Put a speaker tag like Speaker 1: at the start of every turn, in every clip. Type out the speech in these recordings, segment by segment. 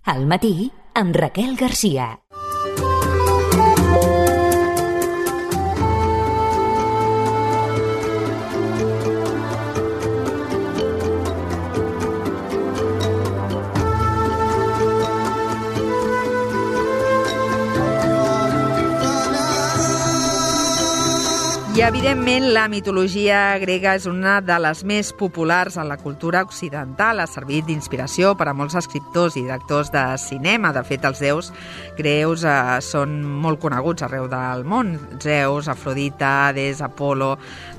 Speaker 1: Al matí, amb Raquel Garcia.
Speaker 2: I, evidentment, la mitologia grega és una de les més populars en la cultura occidental. Ha servit d'inspiració per a molts escriptors i directors de cinema. De fet, els déus greus són molt coneguts arreu del món. Zeus, Afrodita, Hades, Apolo...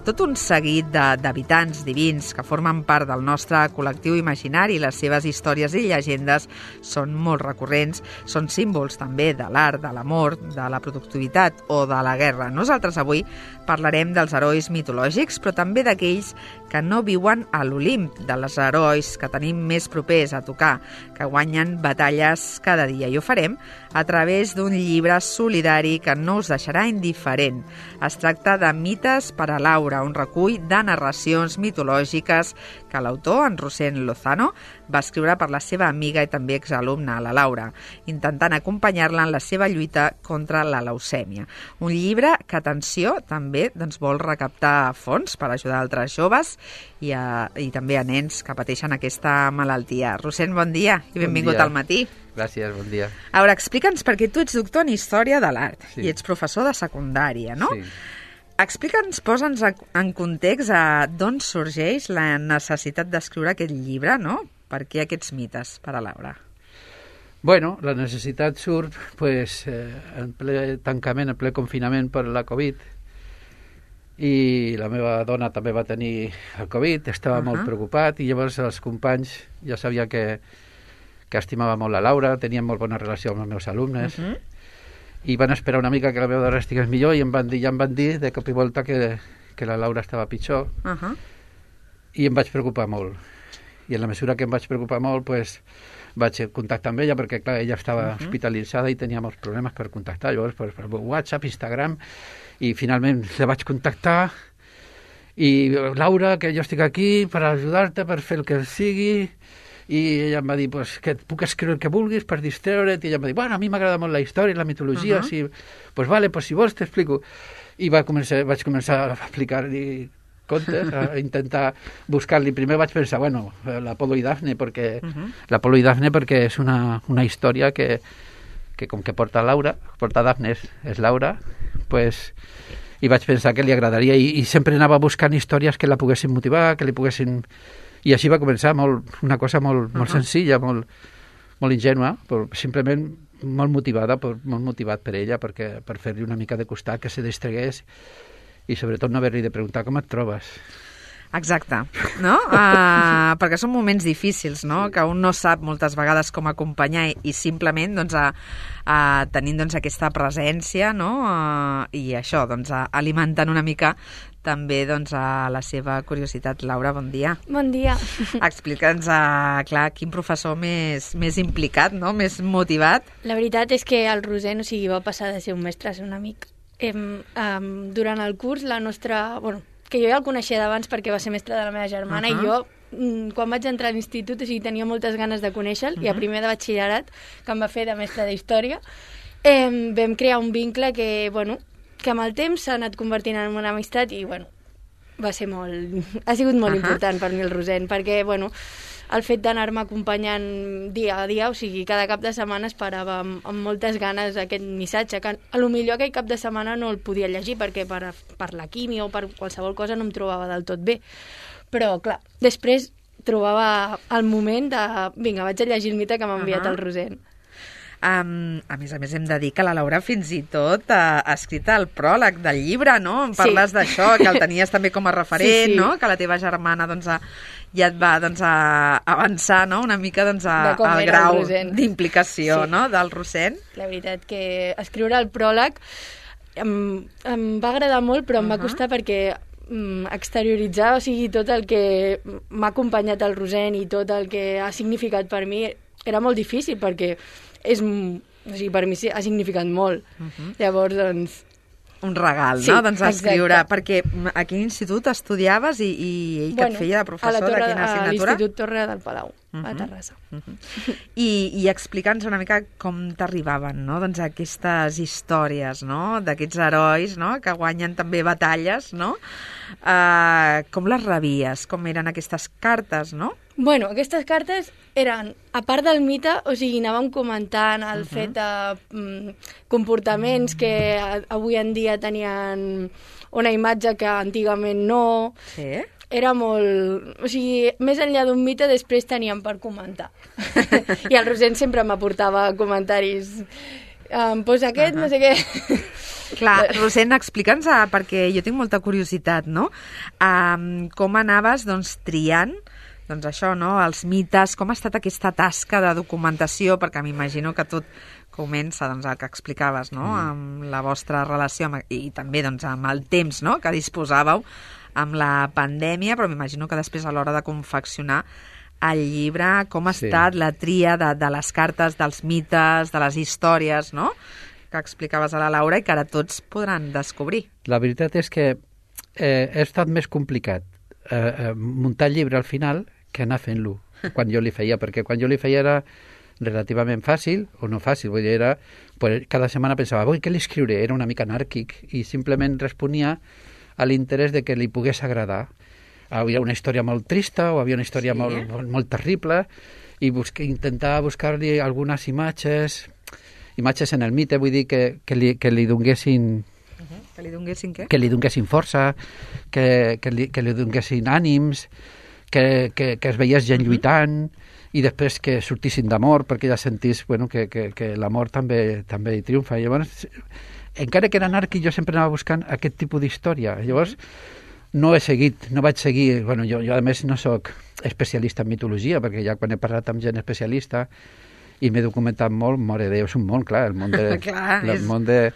Speaker 2: Tot un seguit d'habitants divins que formen part del nostre col·lectiu imaginari. Les seves històries i llegendes són molt recurrents. Són símbols també de l'art, de l'amor, de la productivitat o de la guerra. Nosaltres avui parlarem dels herois mitològics, però també d'aquells que no viuen a l'Olimp, dels herois que tenim més propers a tocar, que guanyen batalles cada dia. I ho farem a través d'un llibre solidari que no us deixarà indiferent. Es tracta de Mites per a Laura, un recull de narracions mitològiques que l'autor, en Rossend Lozano, va escriure per la seva amiga i també exalumna, la Laura, intentant acompanyar-la en la seva lluita contra la leucèmia. Un llibre que, atenció, també vol recaptar fons per ajudar altres joves i també a nens que pateixen aquesta malaltia. Rossend, bon dia i benvingut al matí.
Speaker 3: Gràcies, bon dia.
Speaker 2: A veure, explica'ns, perquè tu ets doctor en Història de l'Art i ets professor de secundària, no?
Speaker 3: Sí.
Speaker 2: Explica'ns, posa'ns en context d'on sorgeix la necessitat d'escriure aquest llibre, no? Per què aquests mites per a Laura?
Speaker 3: Bueno, la necessitat surt en ple tancament, en ple confinament per la Covid, i la meva dona també va tenir el Covid, estava molt preocupat, i llavors els companys ja sabien que estimava molt la Laura, tenien molt bona relació amb els meus alumnes, i van esperar una mica que la meva dona estigués millor i ja em van dir de cop i volta que la Laura estava pitjor, i em vaig preocupar molt. I en la mesura que em vaig preocupar molt, vaig contactar amb ella, perquè clar, ella estava hospitalitzada i tenia molts problemes per contactar. Llavors, per WhatsApp, Instagram, i finalment la vaig contactar, i Laura, que jo estic aquí per ajudar-te, per fer el que sigui, i ella em va dir que puc escriure el que vulguis per distreure't, i ella em va dir, bueno, a mi m'agrada molt la història i la mitologia, vale, si vols t'explico. I vaig començar a explicar-li contes, a intentar buscar-li. Primer vaig pensar, bueno, l'Apolo i Dafne, perquè és una història que com que porta Dafne és Laura, i vaig pensar que li agradaria, i sempre anava buscant històries que la poguessin motivar, que li poguessin... I així va començar, una cosa molt senzilla, molt ingènua, però simplement molt motivat per ella, per fer-li una mica de costat, que se distregués, i sobretot no haver-li de preguntar com et trobes.
Speaker 2: Exacte, no? Perquè són moments difícils, no? Que un no sap moltes vegades com acompanyar i simplement tenint aquesta presència, no? I això, alimentant una mica també a la seva curiositat. Laura, bon dia.
Speaker 4: Bon dia.
Speaker 2: Explica'ns, clar, quin professor més implicat, no? Més motivat.
Speaker 4: La veritat és que el Rossend, va passar de ser un mestre a ser un amic. Durant el curs, la nostra... que jo ja el coneixia d'abans perquè va ser mestre de la meva germana, i jo, quan vaig entrar a l'institut, tenia moltes ganes de conèixer-lo, i a primer de batxillerat, que em va fer de mestre d'història, vam crear un vincle que amb el temps s'ha anat convertint en una amistat, i ha sigut molt important per mi el Rossend, perquè el fet d'anar-me acompanyant dia a dia, cada cap de setmana esperava amb moltes ganes aquest missatge, que potser aquell cap de setmana no el podia llegir, perquè per la químia o per qualsevol cosa no em trobava del tot bé. Però, clar, després trobava el moment de... Vinga, vaig a llegir el mite que m'ha enviat el Rossend.
Speaker 2: A més, hem de dir que la Laura fins i tot ha escrit el pròleg del llibre, no? Em parles d'això, que el tenies també com a referent, no? Que la teva germana ja et va avançar, no? Una mica al grau d'implicació, no? Del Rossend.
Speaker 4: La veritat que escriure el pròleg em va agradar molt, però em va costar perquè exterioritzar, tot el que m'ha acompanyat el Rossend i tot el que ha significat per mi era molt difícil, perquè per mi ha significat molt. Llavors,
Speaker 2: un regal,
Speaker 4: Sí,
Speaker 2: no? Doncs escriure,
Speaker 4: exacte.
Speaker 2: perquè a quin institut estudiaves i què et feia de professor de quina
Speaker 4: A
Speaker 2: assignatura?
Speaker 4: l'Institut Torre del Palau, a Terrassa.
Speaker 2: I explica'ns una mica com t'arribaven, no? Doncs aquestes històries, no? D'aquests herois, no? Que guanyen també batalles, no? Com les rebies? Com eren aquestes cartes, no?
Speaker 4: Bueno, aquestes cartes eren, a part del mite, o sigui, anàvem comentant el fet de comportaments que avui en dia tenien una imatge que antigament no.
Speaker 2: Sí.
Speaker 4: Era molt... O sigui, més enllà d'un mite, després teníem per comentar. I el Roser sempre m'aportava comentaris. Pues aquest, no sé què...
Speaker 2: Clar, Rosent, explica'ns, perquè jo tinc molta curiositat, no? Com anaves, doncs, triant, doncs això, no? Els mites, com ha estat aquesta tasca de documentació, perquè m'imagino que tot comença, doncs, el que explicaves, no? Amb la vostra relació i també, doncs, amb el temps, no?, que disposàveu amb la pandèmia, però m'imagino que després a l'hora de confeccionar el llibre, com ha estat la tria de les cartes, dels mites, de les històries, no?, que explicaves a la Laura i que ara tots podran descobrir.
Speaker 3: La veritat és que ha estat més complicat muntar el llibre al final que anar fent-lo quan jo li feia, perquè quan jo li feia era relativament fàcil, o no fàcil, vull dir, era, pues, cada setmana pensava, què li escriuré? Era una mica anàrquic i simplement responia a l'interès de que li pogués agradar. Havia una història molt trista o havia una història molt terrible i intentava buscar-li algunes imatges en el mite, vull dir que li donguessin
Speaker 2: Que li donguessin què?
Speaker 3: Que li donguessin força, que li donguessin ànims, que es veiés gent lluitant i després que sortissin d'amor perquè ja sentís que l'amor també hi triomfa. Llavors, encara que era anàrquic, jo sempre anava buscant aquest tipus d'història. Llavors, no vaig seguir... Jo a més no sóc especialista en mitologia, perquè ja quan he parlat amb gent especialista i m'he documentat molt, mare de Déu, és un món, clar, el món de... el món de...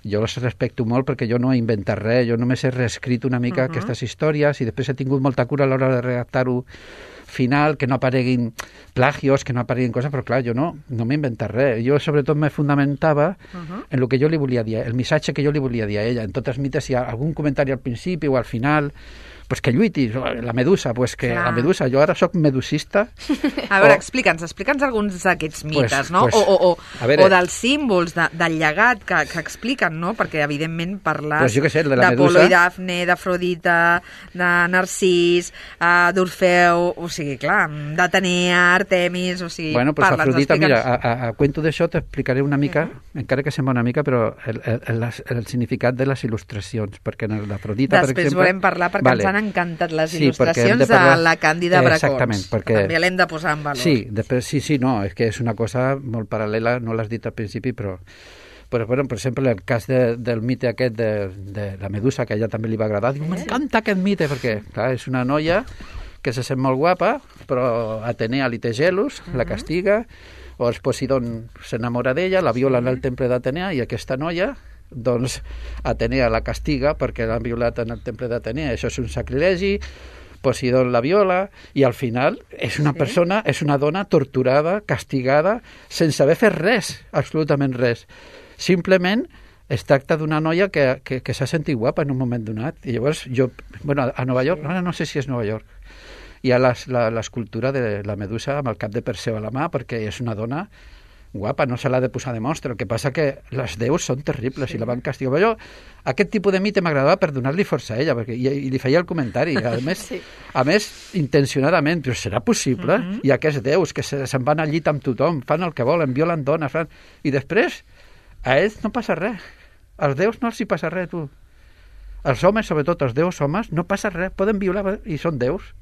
Speaker 3: Jo els respecto molt perquè jo no he inventat res, jo només he reescrit una mica aquestes històries i després he tingut molta cura a l'hora de redactar-ho final, que no apareguin plagios, que no apareguin coses, però clar, jo no m'he inventat res. Jo sobretot me fundamentava en el que jo li volia dir, el missatge que jo li volia dir a ella. En tots els mites, si hi ha algun comentari al principi o al final, pues que lluiti, la medusa, pues que la medusa, jo ara sóc medusista.
Speaker 2: A veure, explica'ns alguns d'aquests mites, no? O dels símbols, del llegat que expliquen, no? Perquè, evidentment, parles d'Apolo i Dafne, d'Afrodita, de Narcís, d'Orfeu, o sigui, clar, d'Atenea, Artemis, o sigui, parla'ns,
Speaker 3: Afrodita, mira, a cuento d'això t'explicaré una mica, encara que sembla una mica, però el significat de les il·lustracions, perquè en l'Afrodita, per exemple...
Speaker 2: Després volem parlar, perquè ens han encantat les il·lustracions de la Càndida Bracons. També l'hem de posar en valor.
Speaker 3: Sí, després, és que és una cosa molt paral·lela, no l'has dit al principi, però per exemple, el cas del mite aquest de la medusa, que a ella també li va agradar, diu, m'encanta aquest mite, perquè clar, és una noia que se sent molt guapa, però Atenea li té gelos, la castiga, o el Posidon s'enamora d'ella, la viola en el temple d'Atenea, i aquesta noia, doncs Atenea la castiga perquè l'han violat en el temple d'Atenea. Això és un sacrilegi, Posidon la viola, i al final és una persona, és una dona torturada, castigada, sense haver fet res, absolutament res. Simplement es tracta d'una noia que s'ha sentit guapa en un moment donat. I llavors a Nova York, no sé si és Nova York, hi ha l'escultura de la medusa amb el cap de Perseu a la mà, perquè és una dona guapa, no se l'ha de posar de mostra. El que passa que les déus són terribles i la van castigar. Però aquest tipus de mite m'agradava per donar-li força a ella, perquè, i li feia el comentari, a més intencionadament, però serà possible? Hi ha aquests déus que se'n van al llit amb tothom, fan el que volen, violen dones, i després a ells no passa res. Als déus no els hi passa res, tu. Els homes, sobretot els déus homes, no passa res, poden violar i són déus.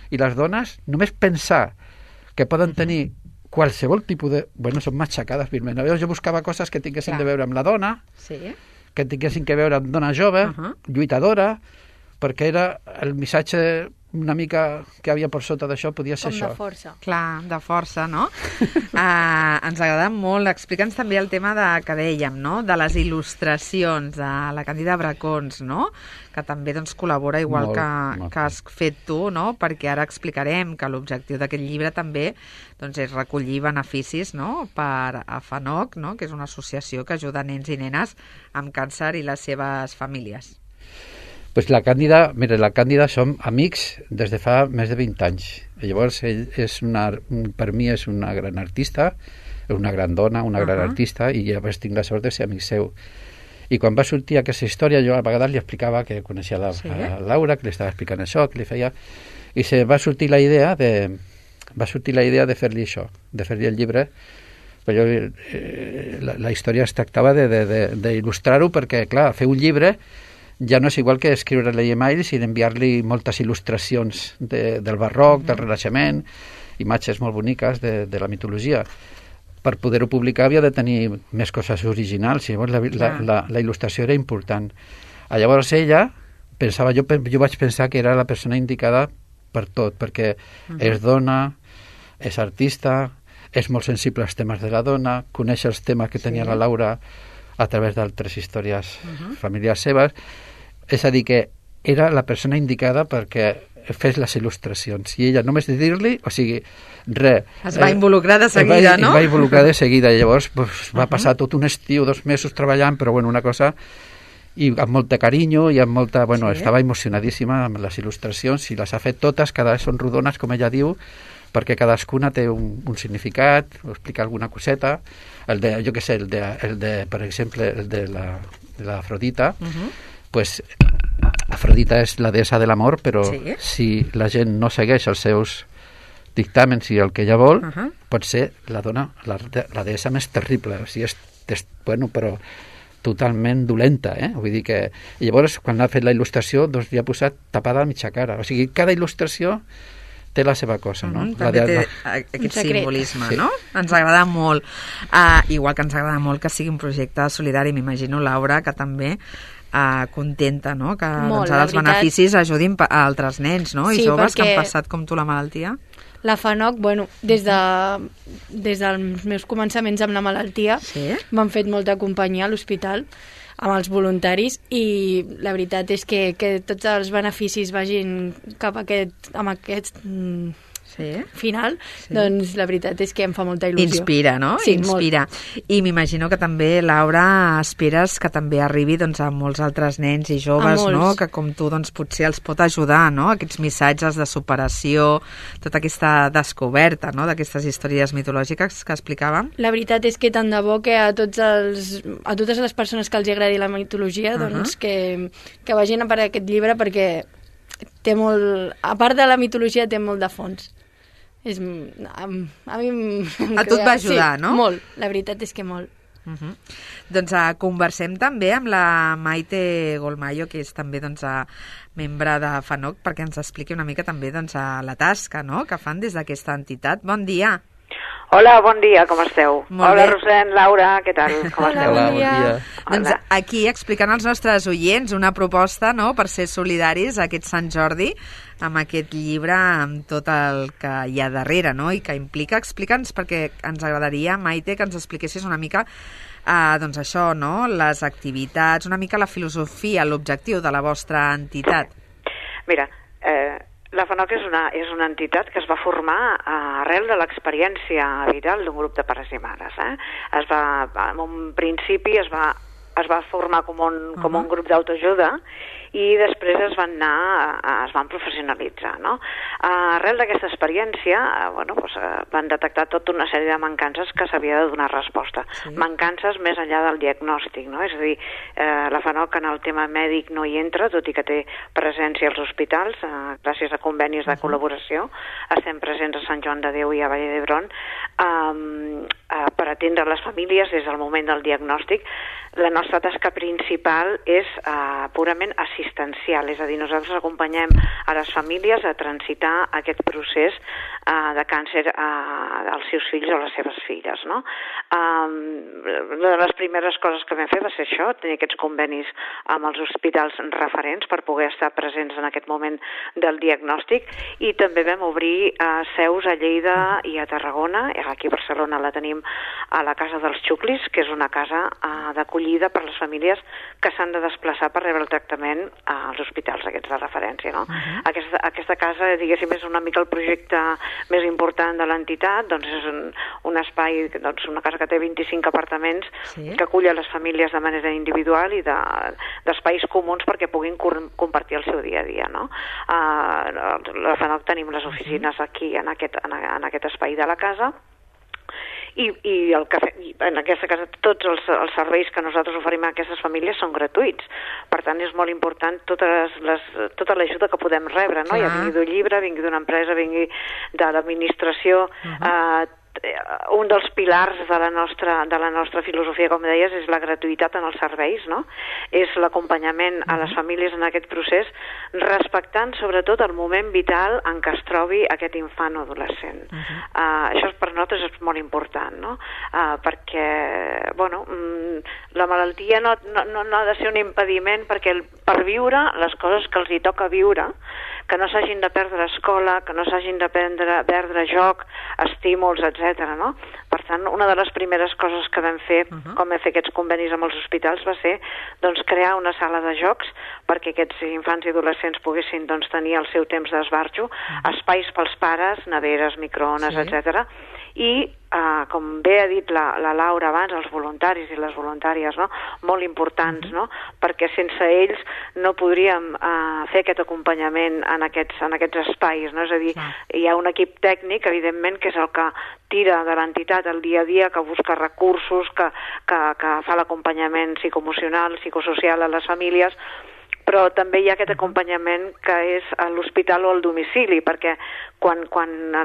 Speaker 3: I les dones, només pensar que poden tenir qualsevol tipus de... són matxacades, virment. Jo buscava coses que tinguessin de veure amb la dona, que tinguessin que veure amb dona jove, lluitadora, perquè era el missatge una mica que havia per sota d'això podia ser això.
Speaker 4: Com de força.
Speaker 2: Clar, de força, no? Ens agrada molt. Explica'ns també el tema que dèiem, no? De les il·lustracions, de la Càndida Bracons, no? Que també doncs, col·labora igual que has fet tu, no? Perquè ara explicarem que l'objectiu d'aquest llibre també doncs, és recollir beneficis, no? Per a FANOC, no? Que és una associació que ajuda nens i nenes amb càncer i les seves famílies.
Speaker 3: Pues la Càndida som amics des de fa més de 20 anys. Llavors, ell per mi és una gran artista, una gran dona, una gran artista, i llavors tinc la sort de ser amic seu. I quan va sortir aquesta història, jo a vegades li explicava que coneixia a Laura, que li estava explicant això, que li feia... I va sortir la idea de fer-li això, de fer-li el llibre. Però la història es tractava d'il·lustrar-ho perquè, clar, fer un llibre ja no és igual que escriure-li emails i d'enviar-li moltes il·lustracions del barroc, del Renaixement, imatges molt boniques de la mitologia. Per poder-ho publicar havia de tenir més coses originals i llavors la il·lustració era important. Llavors ella, jo vaig pensar que era la persona indicada per tot, perquè és dona, és artista, és molt sensible als temes de la dona, coneix els temes que tenia la Laura a través d'altres històries familiars seves. És a dir, que era la persona indicada perquè fes les il·lustracions. I ella, només de dir-li, o sigui, res...
Speaker 2: Es va involucrar de seguida, no?
Speaker 3: Es va involucrar de seguida. Llavors va passar tot un estiu, 2 mesos treballant, però bueno, una cosa... I amb molt de carinyo i amb molta... Bueno, estava emocionadíssima amb les il·lustracions i les ha fet totes, cada vegada són rodones, com ella diu, perquè cadascuna té un significat, o explica alguna coseta. Jo què sé, per exemple, el de l'Afrodita, pues Afrodita és la deessa de l'amor, però si la gent no segueix els seus dictàmens i el que ella vol, pot ser la deessa més terrible. O sigui, bueno, però totalment dolenta, Vull dir que... I llavors, quan ha fet la il·lustració, doncs li ha posat tapada a mitja cara. O sigui, cada il·lustració té la seva cosa, no?
Speaker 2: També té aquest simbolisme, no? Ens agrada molt. Igual que ens agrada molt que sigui un projecte solidari, m'imagino, Laura, que també contenta, no? Que doncs, ara els beneficis ajudin a altres nens, no? I joves que han passat com tu la malaltia.
Speaker 4: La FANOC, bueno, des dels meus començaments amb la malaltia m'han fet molta companyia a l'hospital amb els voluntaris i la veritat és que tots els beneficis vagin cap a aquest final, doncs la veritat és que em fa molta il·lusió.
Speaker 2: Inspira, no?
Speaker 4: Sí,
Speaker 2: inspira. I m'imagino que també, Laura, esperes que també arribi doncs, a molts altres nens i joves, no? Que com tu doncs, potser els pot ajudar, no? Aquests missatges de superació, tota aquesta descoberta, no? D'aquestes històries mitològiques que explicàvem.
Speaker 4: La veritat és que tant de bo que a totes les persones que els agradi la mitologia, doncs que vagin a per aquest llibre perquè té molt... A part de la mitologia té molt de fons. A mi
Speaker 2: a tu et va ajudar, no?
Speaker 4: Molt, la veritat és que molt.
Speaker 2: Doncs conversem també amb la Maite Golmayo, que és també doncs, membre de FANOC, perquè ens expliqui una mica també doncs, la tasca, no?, que fan des d'aquesta entitat. Bon dia.
Speaker 5: Hola, bon dia, com esteu?
Speaker 2: Molt
Speaker 5: Hola,
Speaker 2: bé.
Speaker 5: Rosent, Laura, què tal? Com esteu?
Speaker 3: Hola, bon dia.
Speaker 2: Doncs aquí explicant als nostres oients una proposta, no?, per ser solidaris aquest Sant Jordi amb aquest llibre, amb tot el que hi ha darrere, no?, i que implica. Explica'ns, perquè ens agradaria, Maite, que ens expliquessis una mica doncs això, no?, les activitats, una mica la filosofia, l'objectiu de la vostra entitat.
Speaker 5: Mira, la FANOC és una entitat que es va formar arrel de l'experiència vital d'un grup de pares i mares. En un principi es va formar com un grup d'autoajuda i després es van professionalitzar, no? Arrel d'aquesta experiència, van detectar tota una sèrie de mancances que s'havia de donar resposta. Mancances més enllà del diagnòstic, no? És a dir, la FANOC en el tema mèdic no hi entra, tot i que té presència als hospitals, gràcies a convenis de col·laboració. Estem presents a Sant Joan de Déu i a Vall d'Hebron per atendre les famílies des del moment del diagnòstic. La nostra nostra tasca principal és purament assistencial, és a dir, nosaltres acompanyem a les famílies a transitar aquest procés de càncer als seus fills o les seves filles, no? Una de les primeres coses que vam fer va ser això, tenir aquests convenis amb els hospitals referents per poder estar presents en aquest moment del diagnòstic, i també vam obrir seus a Lleida i a Tarragona. Aquí a Barcelona la tenim a la Casa dels Xuclis, que és una casa d'acollida per les famílies que s'han de desplaçar per rebre el tractament als hospitals aquests de referència, no? Aquesta casa, diguéssim, és una mica el projecte més important de l'entitat, doncs és un espai, doncs una casa que té 25 apartaments, que acull a les famílies de manera individual i d'espais comuns perquè puguin compartir el seu dia a dia, no? La FANOC tenim les oficines aquí en aquest espai de la casa, i en aquesta casa tots els serveis que nosaltres oferim a aquestes famílies són gratuïts. Per tant, és molt important tota l'ajuda que podem rebre, no? Ja vingui d'un llibre, vingui d'una empresa, vingui de l'administració. Un dels pilars de la nostra filosofia, com deies, és la gratuïtat en els serveis, no? És l'acompanyament a les famílies en aquest procés, respectant sobretot el moment vital en què es trobi aquest infant o adolescent. Això per nosaltres és molt important, no? Perquè, bueno, la malaltia no ha de ser un impediment perquè per viure les coses que els hi toca viure, que no s'hagin de perdre escola, que no s'hagin de perdre joc, estímuls, etc. No? Per tant, una de les primeres coses que vam fer, com vam fer aquests convenis amb els hospitals, va ser doncs, crear una sala de jocs perquè aquests infants i adolescents poguessin doncs, tenir el seu temps d'esbarjo, espais pels pares, neveres, microones, etc. I, com bé ha dit la Laura abans, els voluntaris i les voluntàries, no? Molt importants, no? Perquè sense ells no podríem fer aquest acompanyament en aquests espais, no? És a dir, hi ha un equip tècnic, evidentment, que és el que tira de l'entitat el dia a dia, que busca recursos, que fa l'acompanyament psicoemocional, psicosocial a les famílies, però també hi ha aquest acompanyament que és a l'hospital o al domicili, perquè quan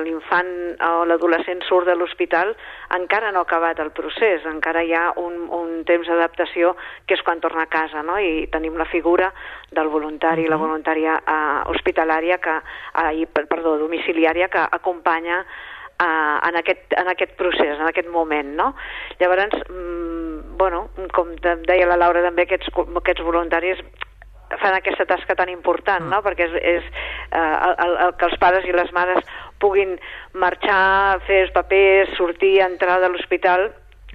Speaker 5: l'infant o l'adolescent surt de l'hospital encara no ha acabat el procés, encara hi ha un temps d'adaptació que és quan torna a casa, no? I tenim la figura del voluntari i la voluntària hospitalària, domiciliària, que acompanya en aquest procés, en aquest moment, no? Llavors, bueno, com deia la Laura també, aquests voluntaris fan aquesta tasca tan important, no? Perquè és que els pares i les mares puguin marxar, fer els papers, sortir, entrar de l'hospital,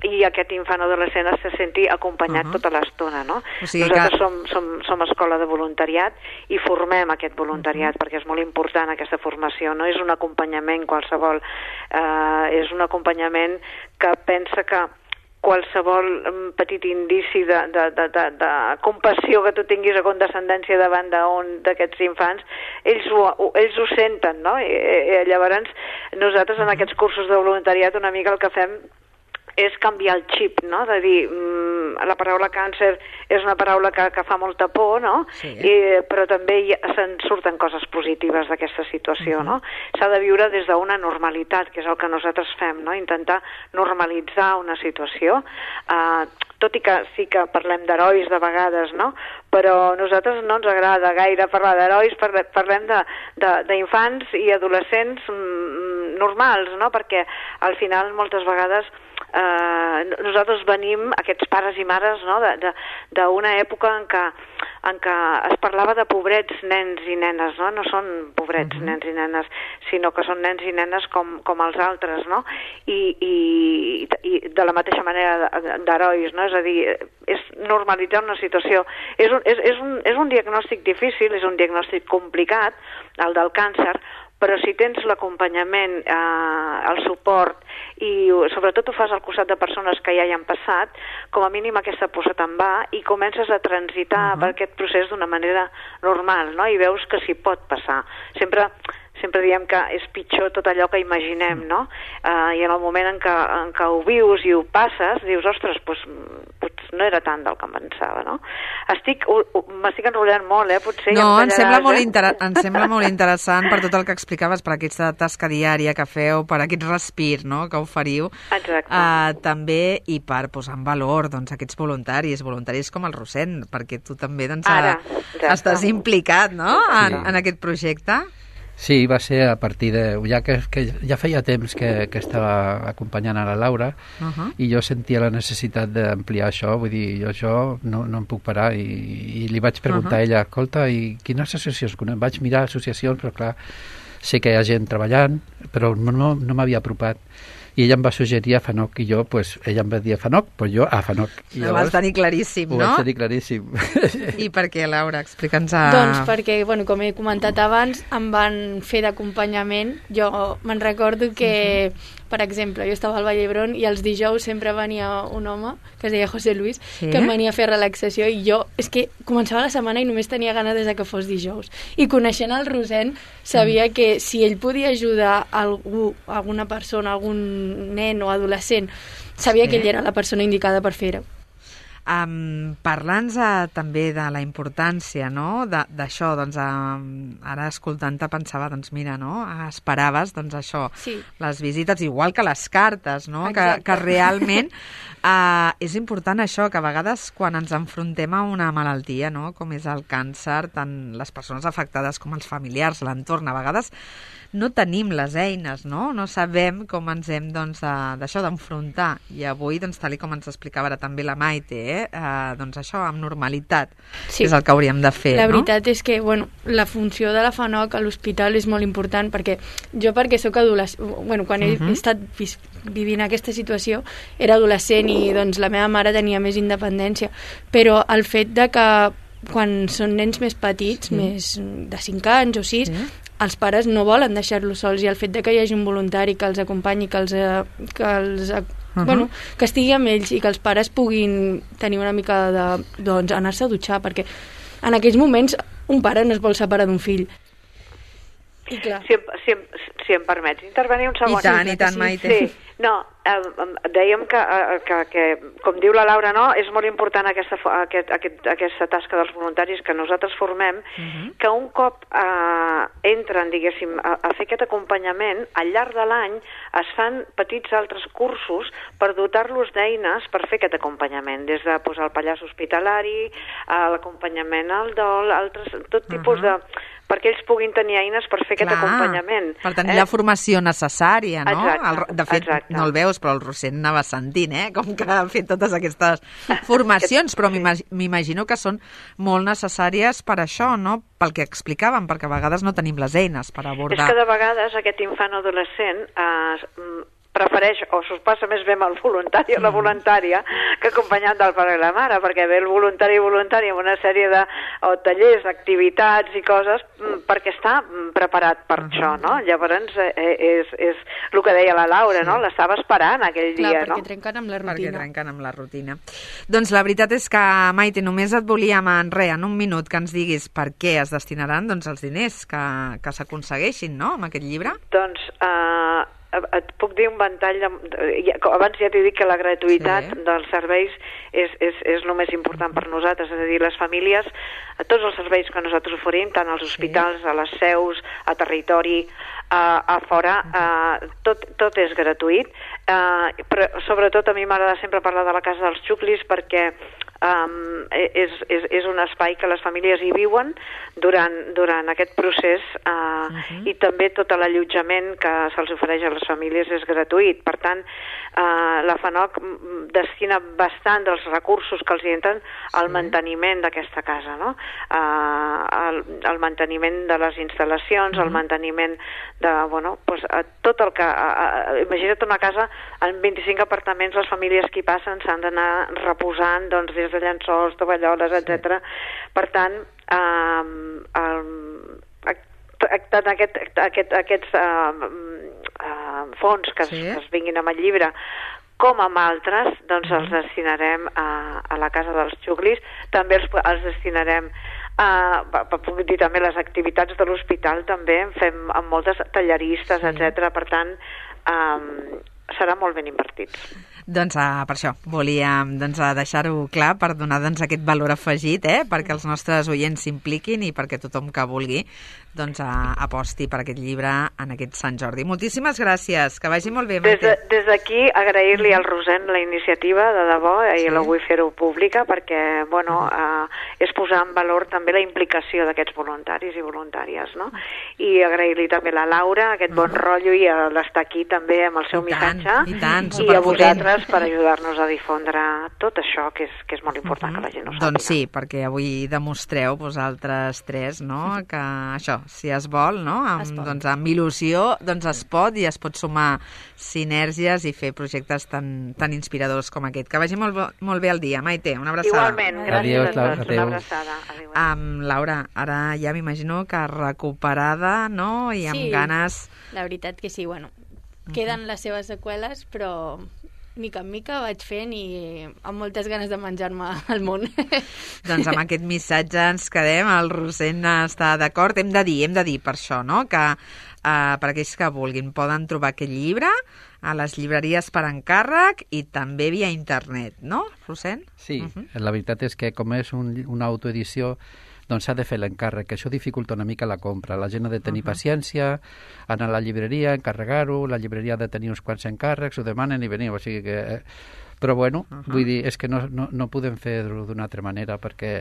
Speaker 5: i aquest infant o adolescent se senti acompanyat tota l'estona, no? O sigui, nosaltres som escola de voluntariat i formem aquest voluntariat perquè és molt important aquesta formació, no és un acompanyament qualsevol, és un acompanyament que pensa que qualsevol petit indici de compassió que tu tinguis o condescendència davant d'aquests infants, ells ho senten, no? I llavors nosaltres en aquests cursos de voluntariat una mica el que fem és canviar el xip, no? De dir, la paraula càncer és una paraula que fa molta por, no? Sí. Però també se'n surten coses positives d'aquesta situació, no? S'ha de viure des d'una normalitat, que és el que nosaltres fem, no? Intentar normalitzar una situació, tot i que sí que parlem d'herois de vegades, no? Però a nosaltres no ens agrada gaire parlar d'herois, parlem d'infants i adolescents normals, no? Perquè al final moltes vegades nosaltres venim, aquests pares i mares, no? D'una època en què es parlava de pobrets nens i nenes, no? No són pobrets nens i nenes, sinó que són nens i nenes com els altres, no? I de la mateixa manera d'herois, no? És a dir, és normalitzar una situació. És un diagnòstic difícil, és un diagnòstic complicat, el del càncer, però si tens l'acompanyament, el suport i sobretot ho fas al costat de persones que ja hi han passat, com a mínim aquesta por se te'n va i comences a transitar per aquest procés d'una manera normal, no? I veus que s'hi pot passar. Sempre diem que és pitjor tot allò que imaginem, no? I en el moment en què ho vius i ho passes, dius, ostres, doncs no era tant del que em pensava, no? M'estic enrotllant molt, potser...
Speaker 2: No, em sembla molt interessant per tot el que explicaves, per aquesta tasca diària que feu, per aquest respir, no?, que oferiu.
Speaker 5: Exacte.
Speaker 2: També, i per posar en valor, doncs, aquests voluntaris com el Rossend, perquè tu també, doncs, estàs implicat, no?, en aquest projecte.
Speaker 3: Sí, va ser a partir de... Ja que ja feia temps que estava acompanyant a la Laura i jo sentia la necessitat d'ampliar això, vull dir, jo no em puc parar i li vaig preguntar a ella, escolta, i quines associacions? Vaig mirar associacions, però clar, sé que hi ha gent treballant, però no m'havia apropat. I ella em va suggerir a FANOC i jo, ella em va dir a FANOC, doncs jo a FANOC.
Speaker 2: Ho vas tenir claríssim, no?
Speaker 3: Ho vaig tenir claríssim.
Speaker 2: I per què, Laura? Explica'ns
Speaker 4: Doncs perquè, com he comentat abans, em van fer d'acompanyament. Jo me'n recordo que, per exemple, jo estava al Vall d'Hebron i els dijous sempre venia un home, que es deia José Luis, que em venia a fer relaxació i jo, és que començava la setmana i només tenia ganes des que fos dijous. I coneixent el Rossend, sabia que si ell podia ajudar alguna persona, algun nen o adolescent, sabia que ell era la persona indicada per fer-ho.
Speaker 2: Parlant també de la importància, no?, d'això, doncs ara escoltant-te pensava, doncs mira, no?, esperaves, doncs això, les visites, igual que les cartes, no?, que realment és important això, que a vegades quan ens enfrontem a una malaltia, no?, com és el càncer, tant les persones afectades com els familiars, l'entorn, a vegades no tenim les eines, no? No sabem com ens hem, doncs, d'això, d'enfrontar. I avui, doncs, tal com ens explicava ara també la Maite, doncs això, amb normalitat, és el que hauríem de fer,
Speaker 4: no? La veritat és que, la funció de la FANOC a l'hospital és molt important, perquè soc adolescent, quan he estat vivint aquesta situació, era adolescent i, doncs, la meva mare tenia més independència, però el fet de que quan són nens més petits, més de 5 anys o 6, els pares no volen deixar-los sols, i el fet de que hi hagi un voluntari que els acompanyi, que estigui amb ells i que els pares puguin tenir una mica de, doncs, anar-se a dutxar, perquè en aquells moments un pare no es vol separar d'un fill. I clar.
Speaker 5: Si em permets intervenir un segon.
Speaker 2: I tant, Maite.
Speaker 5: Sí. No, dèiem que, com diu la Laura, no, és molt important aquesta tasca dels voluntaris que nosaltres formem, que un cop entren, diguéssim, a fer aquest acompanyament, al llarg de l'any es fan petits altres cursos per dotar-los d'eines per fer aquest acompanyament, des de posar el pallaç hospitalari, l'acompanyament al dol, tot tipus de... perquè ells puguin tenir eines per fer aquest acompanyament.
Speaker 2: Per tenir la formació necessària, no?
Speaker 5: Exacte.
Speaker 2: De fet, no el veus, però el Rossend anava sentint, com que ha fet totes aquestes formacions, però m'imagino que són molt necessàries per això, no? Pel que explicàvem, perquè a vegades no tenim les eines per abordar.
Speaker 5: És que de vegades aquest infant o adolescent prefereix o s'ho passa més bé amb el voluntari o la voluntària que acompanyat del pare i la mare, perquè ve el voluntari amb una sèrie de tallers, activitats i coses perquè està preparat per això, no? Llavors és el que deia la Laura, no? L'estava esperant aquell dia, no?
Speaker 4: Perquè trenquen amb la rutina.
Speaker 2: Doncs la veritat és que, Maite, només et volíem en un minut que ens diguis per què es destinaran els diners que s'aconsegueixin, no?, amb aquest llibre.
Speaker 5: Doncs et puc dir un ventall abans ja t'he dit que la gratuïtat dels serveis és el més important per nosaltres, és a dir, les famílies, tots els serveis que nosaltres oferim, tant als hospitals, a les seus, a territori, a fora, tot és gratuït, però sobretot a mi m'agrada sempre parlar de la Casa dels Xuclis perquè és un espai que les famílies hi viuen durant aquest procés i també tot l'allotjament que se'ls ofereix a les famílies és gratuït. Per tant, la FANOC destina bastant dels recursos que els hi entren al manteniment d'aquesta casa, no? El manteniment de les instal·lacions, el manteniment de, tot el que... Imagina't una casa amb 25 apartaments, les famílies que hi passen s'han d'anar reposant, doncs, des de llençols, tovalloles, etc. Per tant, tant aquests fons que es vinguin amb el llibre com amb altres, doncs els destinarem a la Casa dels Xuclis. També els destinarem puc dir també les activitats de l'hospital, també en fem amb moltes talleristes, etc. Per tant, serà molt ben invertits.
Speaker 2: Doncs per això volíem deixar-ho clar per donar aquest valor afegit, perquè els nostres oients s'impliquin i perquè tothom que vulgui aposti per aquest llibre en aquest Sant Jordi. Moltíssimes gràcies, que vagi molt bé, Maite.
Speaker 5: Des d'aquí agrair-li al Rosent la iniciativa, de debò, i la vull fer-ho pública perquè, és posar en valor també la implicació d'aquests voluntaris i voluntàries, no? I agrair-li també a la Laura aquest bon rotllo i l'estar aquí també amb el seu missatge i a vosaltres per ajudar-nos a difondre tot això que és molt important que la gent ho sàpiga.
Speaker 2: Doncs sí, perquè avui demostreu vosaltres tres, no?, que això, si es vol, no?, amb il·lusió, es pot i es pot sumar sinergies i fer projectes tan inspiradors com aquest. Que vagi molt bé el dia, Maite, una abraçada.
Speaker 5: Igualment, gràcies a tots, una abraçada.
Speaker 2: Laura, ara ja m'imagino que recuperada, no?, i amb ganes...
Speaker 4: La veritat que sí, queden les seves seqüeles, però mica en mica vaig fent i amb moltes ganes de menjar-me el món.
Speaker 2: Doncs amb aquest missatge ens quedem, el Rosent està d'acord. Hem de dir per això, no?, que per aquells que vulguin poden trobar aquest llibre a les llibreries per encàrrec i també via internet, no, Rosent?
Speaker 3: Sí, la veritat és que com és una autoedició, doncs s'ha de fer l'encàrrec, que això dificulta una mica la compra. La gent ha de tenir paciència, anar a la llibreria, encarregar-ho, la llibreria ha de tenir uns quants encàrrecs, ho demanen i veniu, o sigui que... Però bueno, vull dir, és que no podem fer-ho d'una altra manera perquè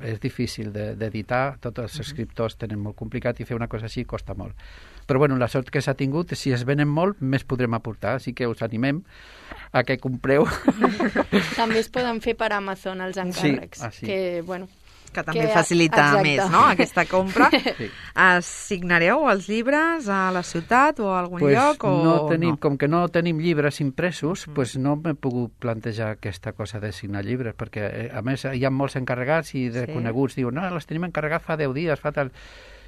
Speaker 3: és difícil d'editar, tots els escriptors tenen molt complicat i fer una cosa així costa molt. Però bueno, la sort que s'ha tingut, si es venen molt, més podrem aportar, així que us animem a que compreu.
Speaker 4: També es poden fer per Amazon els encàrrecs,
Speaker 2: que també facilita més, no?, aquesta compra. Sí. Signareu els llibres a la ciutat o a algun lloc?
Speaker 3: Com que no tenim llibres impresos, no m'he pogut plantejar aquesta cosa de signar llibres, perquè a més hi ha molts encarregats i de coneguts diuen, no, les tenim encarregats fa 10 dies, fa tal...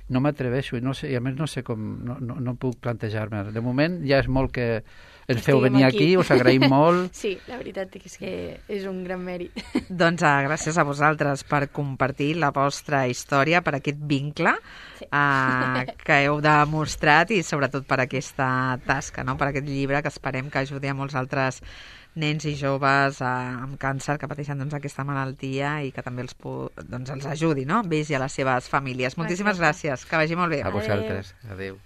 Speaker 3: No m'atreveixo i a més no sé com... No puc plantejar-me. De moment ja és molt que ens feu venir aquí, us agraïm molt.
Speaker 4: Sí, la veritat és que és un gran mèrit.
Speaker 2: Doncs gràcies a vosaltres per compartir la vostra història, per aquest vincle que heu demostrat i sobretot per aquesta tasca, no?, per aquest llibre que esperem que ajudi a molts altres nens i joves amb càncer que pateixen aquesta malaltia i que també els ajudi, no?, amb ells i a les seves famílies. Moltíssimes gràcies, que vagi molt bé.
Speaker 3: A vosaltres, adéu.